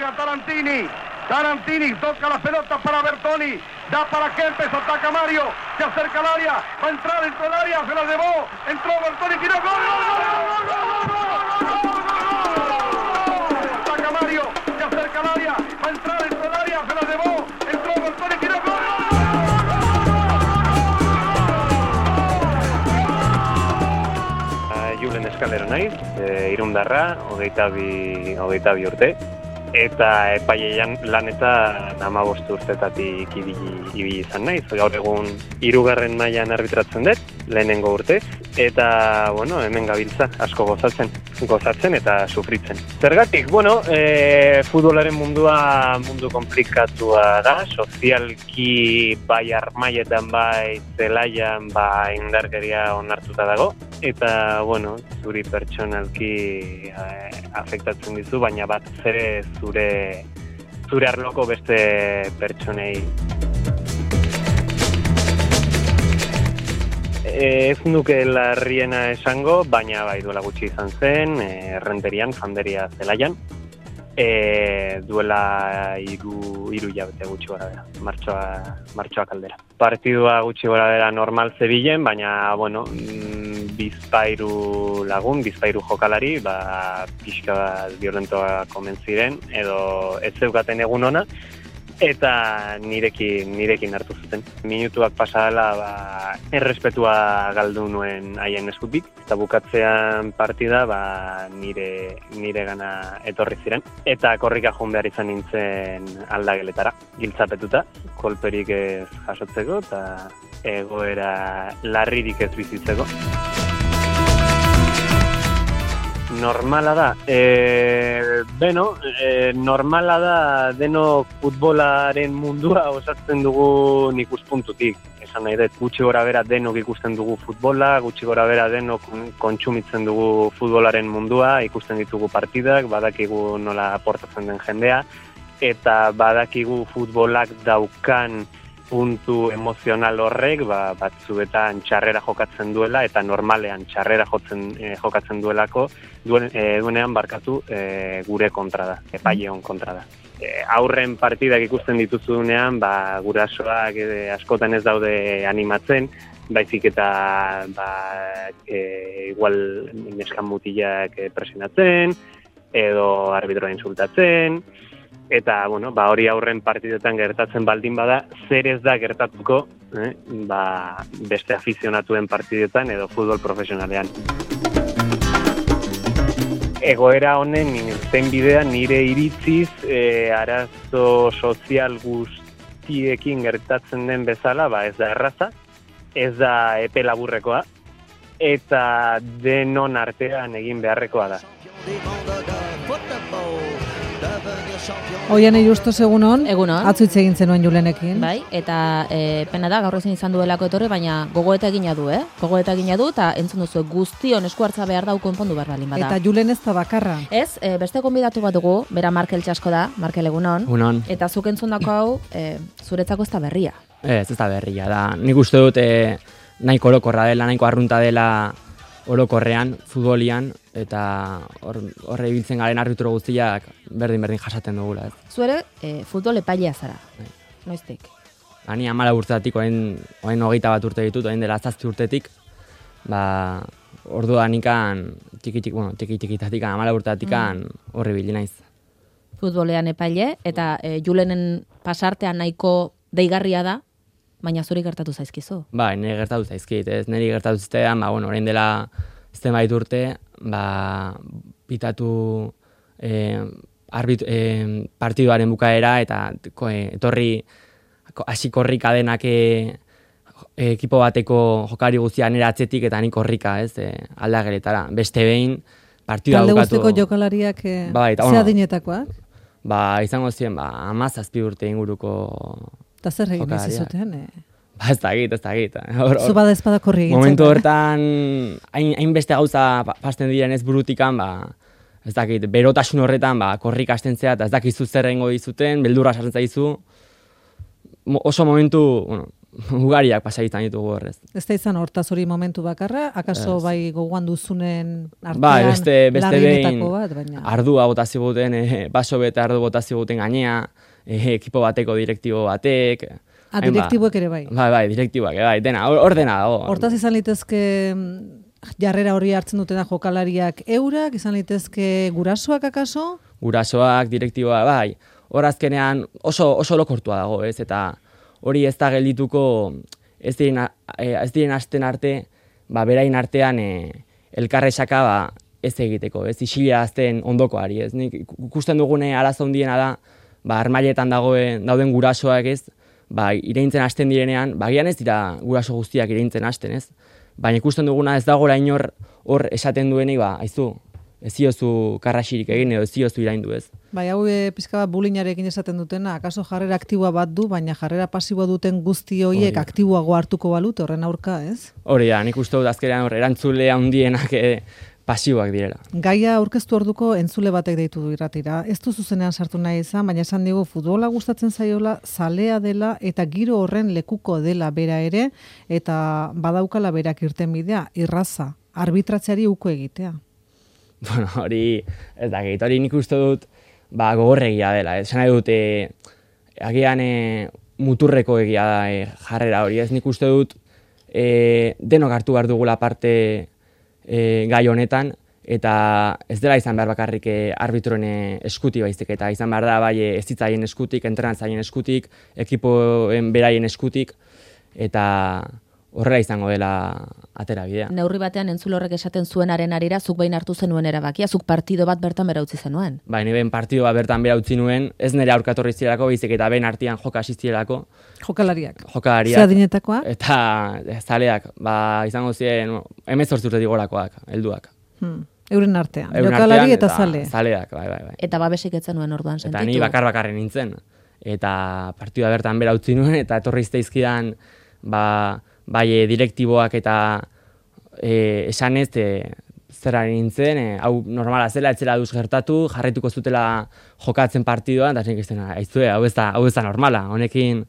juega Tarantini. Tarantini toca la pelota para Bertoni. Da para Kempes, ataca Mario. Se acerca al área. Va a entrar dentro del área. Se la llevó. Entró Bertoni. Tiró. ¡Gol! Ataca Mario. Se acerca al área. Va a entrar dentro del área. Se la llevó. Entró Bertoni. Tiró. ¡Gol! Julen Eskalero naiz, Irundarra, 22 urte, eta epailean lanetan 15 urtetatik ibili izan naiz. Gaur egun 3. mailan arbitratzen dut, lehenengo urtez, eta hemen gabiltza, asko gozatzen eta sufritzen. Zergatik, futbolaren mundua mundu komplikatua da, sozialki bai armaietan bai zelaian indarkeria onartuta dago, eta zuri pertsonalki afektatzen dizu, baina bat ere zure arloko beste pertsonei. Ez nuke larriena esango, baina bai duela gutxi izan zen, Errenterian, Fanderia zelaian, duela hiru hilabete gutxi gora bera, martxoak aldera. Partidua gutxi gora bera normal zebilen, baina, bizpairu lagun, bizpairu jokalari, pixka bat violentoak omen ziren, edo ez zeukaten egun ona, eta nirekin hartu zuten. Minutuak pasadela errespetua galdu nuen haien eskutik, eta bukatzean partida nire gana etorri ziren. Eta korrika joan behar izan nintzen aldageletara, giltzapetuta, kolperik ez jasotzeko eta egoera larririk ez bizitzeko. Normala da. Normala da denok futbolaren mundua osatzen dugun ikuspuntutik. Esan nahi dut, gutxi gora bera denok ikusten dugu futbola, gutxi gora bera denok kontsumitzen dugu futbolaren mundua, ikusten ditugu partidak, badakigu nola aportatzen den jendea, eta badakigu futbolak daukan puntu emozional horrek, batzuetan txarrera jokatzen duela, eta normalean txarrera jokatzen duenean gure kontra da, epaileon kontra da. Aurren partidak ikusten dituzunean, gurasoak askotan ez daude animatzen, baizik eta igual neskan mutilak presionatzen, edo arbitroa insultatzen, eta hori aurren partidetan gertatzen baldin bada, zer ez da gertatuko beste afizionatuen partidetan edo futbol profesionalean. Egoera honen irten bidea nire iritziz arazo sozial guztiekin gertatzen den bezala, ez da erraza, ez da epe laburrekoa, eta denon artean egin beharrekoa da. Oian Justos egunon, Egunon. Atzu hitz egin zenuen Julenekin. Bai, eta pena da gaur ezin izan duelako etorri, baina gogoeta egina du, Gogoeta egina du, eta entzun duzu guztion esku hartza behar dau konpondu behar balin bada. Eta Julen ez da bakarra. Ez, beste gonbidatu bat dugu, bera Markel Txasko da, Markel egunon. Egunon. Eta zuk entzundako hau, zuretzako ez da berria. Ez da berria, da. Nik uste dut nahiko orokorra dela, nahiko arrunta dela orokorrean, futbolian, eta horre ibiltzen garen arbitro guztiak berdin jasaten dugula. Zuere, futbol epailea zara. Noiztik? Ni 14 urtetik, orain 21 urte ditut, orain dela 7 urtetik, orduan ikan, tiki-tikitatik, 14 urtetik horri bili naiz. Futbolean epaile, eta Julenen pasartean nahiko deigarria da, baina zuri gertatu zaizkizu. Nire gertatu zaizkit, ez niri gertatu zitean, orain dela zenbait urte, pitatu partiduaren bukaera, eta etorri hasi korrika denak ekipo bateko jokari guztia nire atzetik, eta nik korrika, aldageletara. Beste behin, partidua bukatu... Talde guztiko jokalariak ze adinetakoak? Izango ziren, 17 urte inguruko... Eta zer egin izizuten? Ez dakit. Zu bada ezpada korri egin. Momentu hortan, hainbeste gauza pasten diren ez burutikan, ez dakit, berotasun horretan, korrik hasten zea, eta ez dakizu zer egingo dizuten, beldurra sartzen zaizu. Oso momentu, ugariak pasaitan ditugu horrez. Ez da izan hortaz hori momentu bakarra, akaso bai gogoan duzunen artean beste larrienetako bat, baina... Ardua botaziguten, baso bete ardu botaziguten gainea, ekipo bateko direktibo batek... Direktiboek ere bai. Bai, direktiboak, bai, dena, hor dena dago. Hortaz izan litezke jarrera hori hartzen dutena jokalariak eurak, izan litezke gurasoak akaso? Gurasoak, direktiboa, bai. Hor azkenean oso lokortua dago, ez? Eta hori ez da geldituko ez diren asten arte, berain artean elkarresaka ez egiteko, ez? Isila azten ondokoari, ez? Nik ikusten dugune arazo handiena da, armailetan dauden gurasoak, ez? Ireintzen hasten direnean, gian ez dira guraso guztiak ireintzen hasten, ez? Baina ikusten duguna ez dagoela inor hor esaten duenik, aizu, ez ziozu karrasirik egin edo ez ziozu iraindu, ez? Hau pizka bat bulinarekin esaten dutena, akaso jarrera aktiboa bat du, baina jarrera pasiboa duten guzti horiek aktiboago hartuko balut horren aurka, ez? Hori da, nik uste dut azkenean erantzule handienak pasiboak direla. Gaia aurkeztu orduko entzule batek deitu du irratira. Ez du zuzenean sartu nahi izan, baina esan digu futbola gustatzen zaiola, zalea dela eta giro horren lekuko dela bera ere, eta badaukala berak irtenbidea, irraza, arbitratzeari uko egitea. Bueno, hori, ez da, hori nik uste dut, gogorregia dela. Esan nahi dut, agian muturreko egia da jarrera hori. Ez nik uste dut, denok hartu behar dugula parte gai honetan, eta ez dela izan behar bakarrik arbitroen eskutik baizik, eta izan behar da bai ez zitzaien eskutik, entrenatzaien eskutik, ekipoen beraien eskutik, eta horrela izango dela atera bidea. Neurri batean entzulorrek esaten zuenaren arira, zuk behin hartu zenuen erabakia, zuk partido bat bertan bera utzi zenuen. Ni behin partido bat bertan bera utzi nuen, ez nire aurkatorri zirelako, baizik eta behin artean joka asiztirelako. Jokalariak. Zeadinetakoa? Eta zaleak, izango ziren 18 urtetik gorakoak, helduak. Euren artean, jokalari eta zale. Zaleak, bai. Eta babesik etzen nuen orduan sentitu. Eta ni bakarren nintzen. Eta partida bertan bera utzi nuen, eta etorri izteizkidan, bai direktiboak eta esan ez zera nintzen, hau normala zela, etzela duz gertatu, jarraituko zutela jokatzen partidoan, eta nik izten, hau ez da normala, honekin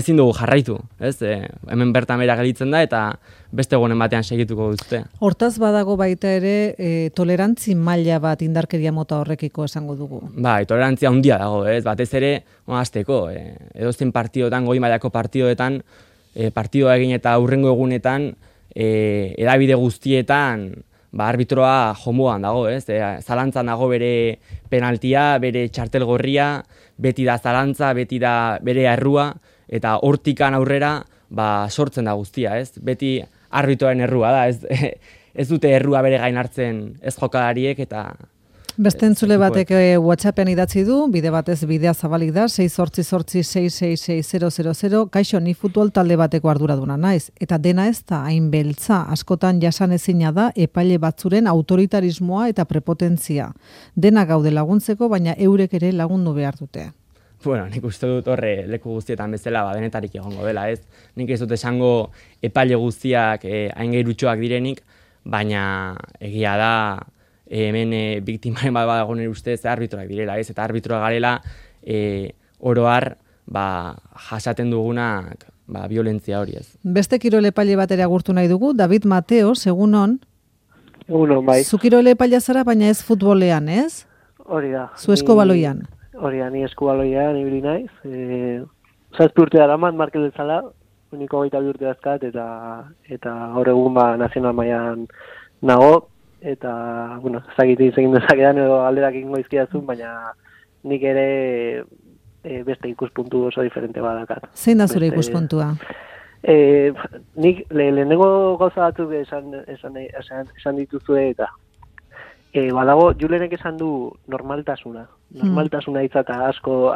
ezin dugu jarraitu, ez? Hemen bertan bera gelitzen da, eta beste egunen batean segituko duzte. Hortaz badago baita ere, tolerantzi maila bat indarkeria mota horrekiko esango dugu. Tolerantzia handia dago, ez? Batez ere, hasteko, edozein partidoetan, goi mailako partidoetan, partidoa egin eta aurrengo egunetan, edabide guztietan, arbitroa jomuan dago, ez? Zalantzan dago bere penaltia, bere txartel gorria, beti da zalantza, beti da bere errua, eta hortikan aurrera, sortzen da guztia, ez? Beti arbitroaren errua da, ez dute errua bere gain hartzen ez jokalariek, eta... Beste entzule batek WhatsAppean idatzi du, bide batez bidea zabalik da, 688-666-000, kaixo, ni futbol talde bateko arduraduna naiz, eta dena ez da hain beltza, askotan jasan ezina da epaile batzuren autoritarismoa eta prepotentzia. Dena gaude laguntzeko, baina eurek ere lagundu behar dute. Bueno, nik uste dut horre leku guztietan bezala denetarik egongo dela, ez? Nik ez dut esango epaile guztiak hain geirutxoak direnik, baina egia da, hemen biktimaren bat badago nire ustez arbitroak direla, ez? Eta arbitroa garela oroar jasaten dugunak violentzia hori, ez? Beste kirol epaile bat ere agurtu nahi dugu, David Mateo, segunon. Egunon, bai. Zu kirol epailea zara, baina ez futbolean, ez? Hori da. Zu eskubaloian. Hori da, ni eskubaloian ibili naiz. 7 urte daramat markel dezala, uniko 22 urte dazkat, eta gaur egun nazional mailan nago, eta, bueno, ezagite izegin dezakedan edo alderak ingo izkiazun, baina nik ere beste ikuspuntu oso diferente badakat. Zein da zure ikuspuntua? Nik lehenengo gauza batzuk esan dituzue eta badago, Julenek esan du normaltasuna. Normaltasuna itzata asko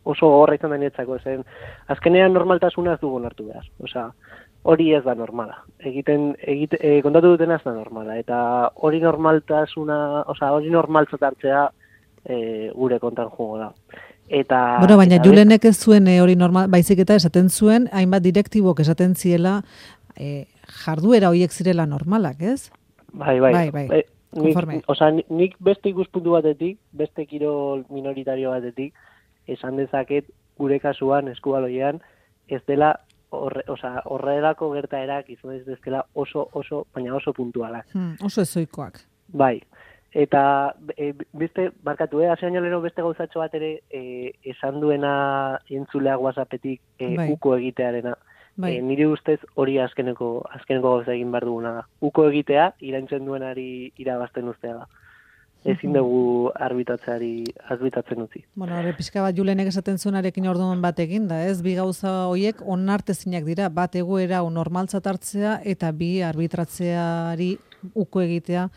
oso horra izan denetzako zen. Azkenean normaltasuna ez dugu hartu behar. Osea, hori ez da normala. Kontatu dutena ez da normala. Eta hori normaltasuna, osea, hori normaltzat hartzea gure kontan jugo da. Bueno, baina Julenek ez zuen hori normal, baizik eta esaten zuen, hainbat direktibok esaten ziela jarduera horiek zirela normalak, ez? Bai. Nik beste ikuspuntu batetik, beste kirol minoritario batetik, esan dezaket gure kasuan eskubaloian, ez dela horrelako gertaerak izan ez dezkela baina oso puntualak. Oso ezoikoak. Bai. Eta beste, barkatu, hasi baino lero beste gauzatxo bat ere esan duena entzuleak WhatsAppetik uko egitearena. Bai. Nire ustez hori azkeneko gauza egin behar duguna da. Uko egitea, iraintzen duenari irabazten ustea da. Ezin dugu arbitatzen utzi. Bueno, pixka bat Julenek esaten zuenarekin orduan bat egin da, ez? Bi gauza horiek onartezinak dira, bat egoera normaltzat hartzea eta bi arbitratzeari uko egitea,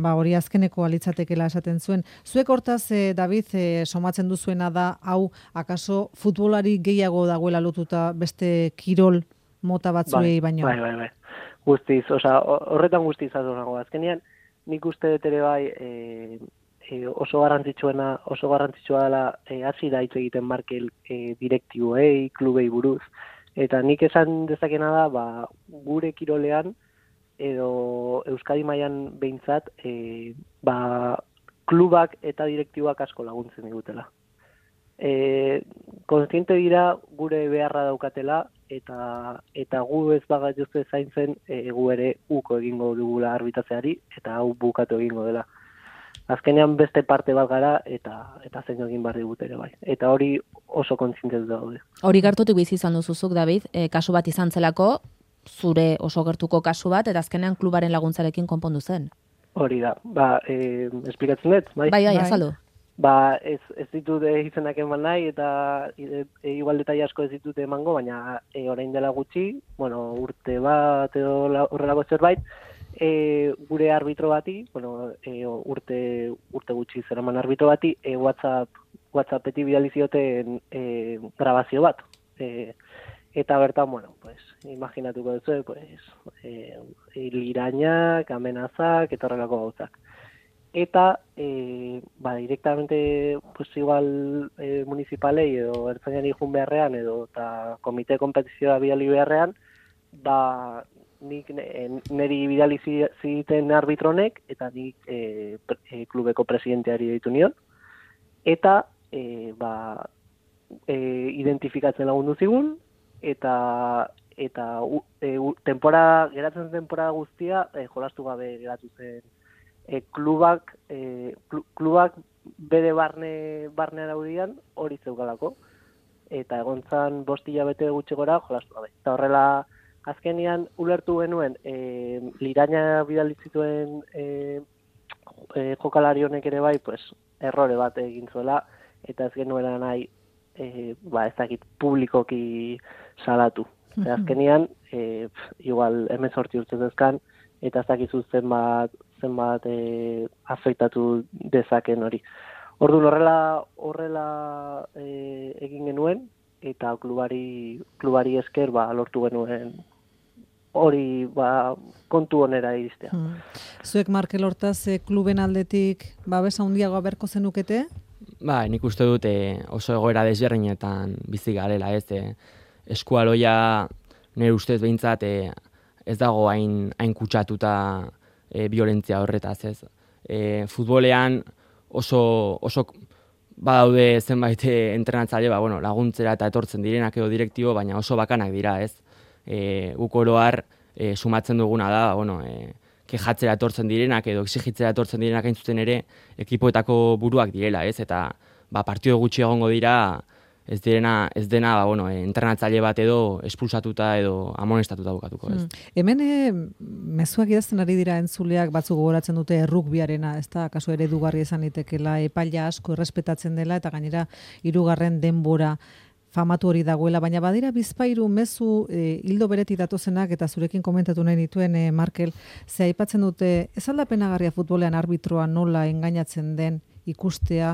hori azkeneko alitzatekela esaten zuen. Zuek hortaz, David, somatzen duzuena da, hau, akaso futbolari gehiago dagoela lotuta beste kirol mota batzuei baino? Bai. Guztiz, horretan guztiz adonago. Azkenean, nik uste dut ere bai oso garrantzitsua dela hasi da hitz egiten Markel direktiboei, klubei buruz. Eta nik esan dezakena da, gure kirolean edo Euskadi mailan behintzat klubak eta direktiboak asko laguntzen digutela. Kontziente dira gure beharra daukatela eta gu ez bagaituzte zaintzen gu ere uko egingo dugula arbitratzeari eta hau bukatu egingo dela. Azkenean beste parte bat gara eta zein egin behar digut ere bai. Eta hori oso kontziente daude. Hori gertutik bizi izan duzuzuk, David, kasu bat izan zelako, zure oso gertuko kasu bat, eta azkenean klubaren laguntzarekin konpondu zen. Hori da. Esplikatzen dut, bai? Bai, azaldu. Ez ditut izenak eman nahi, eta igual detai asko ez ditut emango, baina orain dela gutxi, urte bat edo horrelako zerbait, gure arbitro bati, urte gutxi zeraman arbitro bati, WhatsAppetik bidali zioten grabazio bat. Eta bertan, imaginatuko duzu, lirainak, amenazak, eta horrelako gauzak. Eta, directamente, igual municipalei edo ertzainan ikun beharrean edo eta komite kompetizioa bidali beharrean, nik niri bidali ziten arbitronek eta nik klubeko presidenteari ditu nion. Eta, identifikatzen lagundu zigun, eta geratzen temporada guztia jolastu gabe geratu zen. Klubak bere barne araudian hori zeukalako. Eta egontzan 5 hilabete gutxi gora jolastu gabe. Eta horrela azkenian ulertu genuen liraina bidali zituen jokalari honek ere bai, errore bat egin zuela eta ez genuela nahi ez dakit publikoki salatu. Azkenian igual 18 urte dezkan eta ez dakizu zenbat afektatu dezaken hori. Orduan horrela egin genuen eta klubari esker lortu genuen hori kontu onera iristea. Zuek Markel hortaz kluben aldetik babesa handiagoa berko zenukete? Nik uste dut oso egoera desberdinetan bizi garela, eskualoia nire ustez behintzat ez dago hain kutsatuta violentzia horretaz, ez. Futbolean oso badaude zenbait entrenatzaile, laguntzera eta etortzen direnak edo direktibo, baina oso bakanak dira, ez. Guk oro har sumatzen duguna da, kejatzera etortzen direnak edo exigitzera etortzen direnak hain zuten ere ekipoetako buruak direla, ez. Eta partido gutxi egongo dira, ez dena entrenatzaile bat edo espulsatuta edo amonestatuta bukatuko, ez. Hemen mezuak idazten ari dira entzuleak batzuk gogoratzen dute errugbiarena, ez da, kasu eredugarri izan litekela, epaila asko errespetatzen dela eta gainera 3. denbora famatu hori dagoela, baina badira bizpairu mezu hildo beretik datozenak eta zurekin komentatu nahi dituen Markel, ze aipatzen dute, ez aldapenagarria futbolean arbitroa nola engainatzen den ikustea,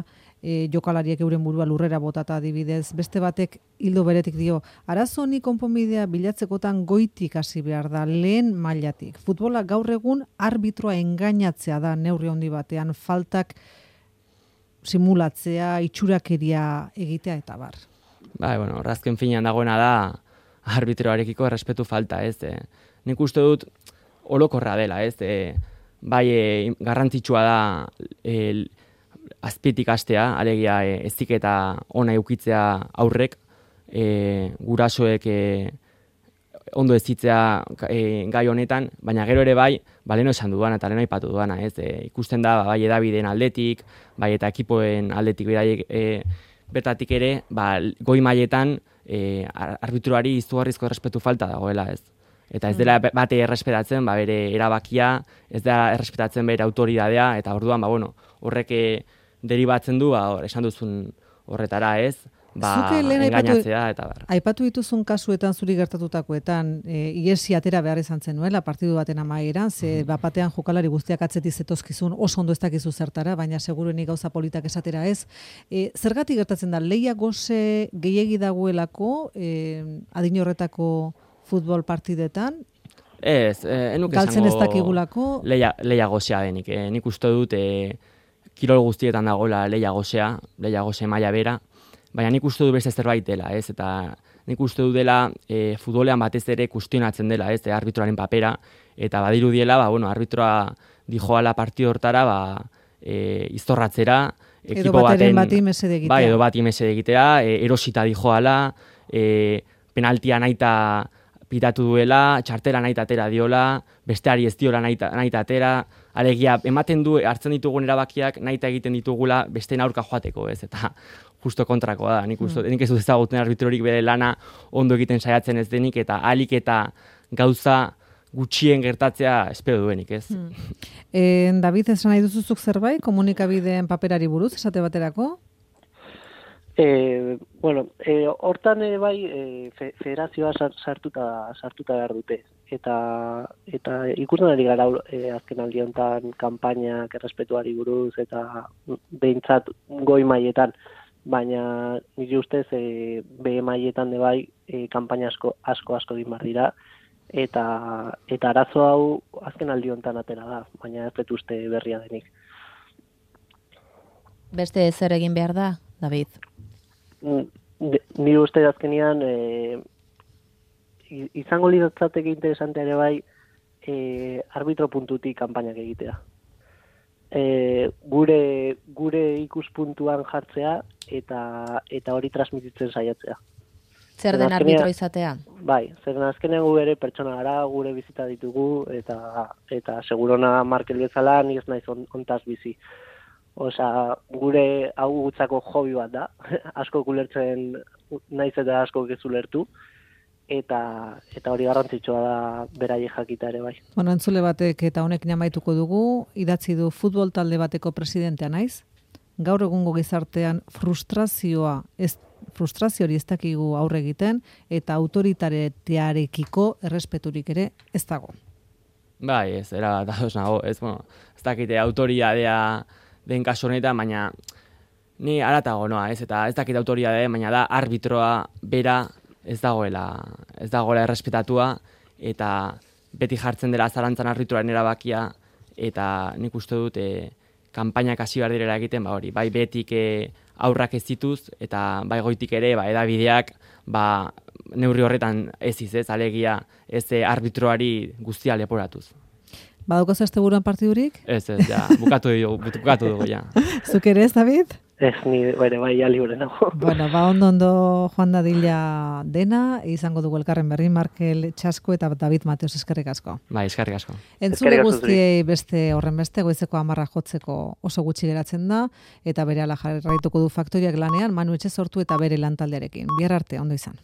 jokalariek euren burua lurrera botata adibidez, beste batek hildo beretik dio, arazo honi konponbidea bilatzekotan goitik hasi behar da, lehen mailatik. Futbola gaur egun arbitroa engainatzea da neurri handi batean, faltak simulatzea, itxurakeria egitea eta bar. Razken finean dagoena da arbitroarekiko errespetu falta, ez. Nik uste dut orokorra dela, ez. Garrantzitsua da azpitik hastea, alegia heziketa ona edukitzea aurrek, gurasoek ondo ez zitzea gai honetan, baina gero ere bai, leno esan duana eta leno aipatu duana, ez? Ikusten da, bai edabideen aldetik, bai eta ekipoen aldetik bertatik ere, goi mailetan arbitroari izugarrizko errespetu falta dagoela, ez? Eta ez dela bate errespetatzen, bere erabakia, ez dela errespetatzen bere autoridadea, eta orduan, horrek deribatzen du, esan duzun horretara, ez? Engainatzea eta bar. Aipatu dituzun kasuetan zuri gertatutakoetan, iesi atera behar izan zenuela, partidu baten amaieran, ze bapatean jokalari guztiak atzetik zetozkizun, oso ondo ez dakizu zertara, baina seguruenik gauza politak esatera ez. Zergatik gertatzen da, lehia goze gehiegi dagoelako, adin horretako futbol partidetan? Ez, enuke galtzen ez dakigulako? Lehia gozea denik. Nik uste dut, kirol guztietan dagoela lehia goze maila bera, baina nik uste du beste zerbait dela, ez? Eta nik uste du dela futbolean batez ere kustionatzen dela, ez? Arbitroaren papera, eta badiru diela, arbitroa dijoala partido hortara, iztorratzera, ekipo baten bati mesede egitea. Edo bati mesede egitea, erosita dijoala, penaltia naita pitatu duela, txartela naita atera diola, besteari ez diola naita atera, alegia, ematen du, hartzen ditugun erabakiak, naita egiten ditugula, beste aurka joateko, ez? Eta justo kontrakoa da, nik ez dut ezaguten arbitrorik bere lana ondo egiten saiatzen ez denik, eta alik eta gauza gutxien gertatzea espero duenik, ez? David, esan nahi duzuzuk zerbait, komunikabideen paperari buruz, esate baterako? Hortan federazioa sartuta behar dute. Eta ikusten ari gara azken aldi honetan kanpainak errespetuari buruz eta behintzat goi mailetan, baina nire ustez B mailetan de bai kanpaina asko egin behar dira, eta arazo hau azken aldi honetan atera da, baina ez dut uste berria denik. Beste zer egin behar da, David? Nire uste azkenean izango lirateke interesantea ere bai arbitro puntutik kanpainak egitea. Gure ikuspuntuan jartzea eta hori transmititzen saiatzea. Zer den arbitro izatea? Bai, zer azkenean gu ere pertsona gara, gure bizita ditugu eta segurona Markel bezala ni ez naiz ontaz bizi. Osea, gure hau gutzako hobi bat da, asko ulertzen naiz eta asko ez ulertu, eta hori garrantzitsua da beraiek jakita ere bai. Entzule batek eta honekin amaituko dugu, idatzi du futbol talde bateko presidentea naiz, gaur egungo gizartean frustrazio hori ez dakigu aurre egiten, eta autoritatearekiko errespeturik ere ez dago. Bai, ez, dagoz nago, ez dakite autoridadea den kasu honetan, baina ni aratago noa, ez, eta ez dakit autoridadea, baina da arbitroa bera ez dagoela errespetatua, eta beti jartzen dela zalantzan arbitroaren erabakia, eta nik uste dut kanpainak hasi behar direla egiten, bai betik aurrak ez dituz, eta bai goitik ere, edabideak, neurri horretan ez, alegia ez arbitroari guztia leporatuz. Badaukazu asteburuan partidurik? Ez, ja, bukatu dugu, ja. Zuk ere ez, David? Ez, ni bai libre nago. Bueno, ondo joan dadila dena, izango dugu elkarren berri, Markel Txasko eta David Mateos, eskerrik asko. Bai, eskerrik asko. Entzule guztiei beste horren beste, goizeko 10 jotzeko oso gutxi geratzen da, eta berehala jarraituko du Faktoriak lanean, Manu Etxe sortu eta bere lantaldearekin. Bihar arte, ondo izan.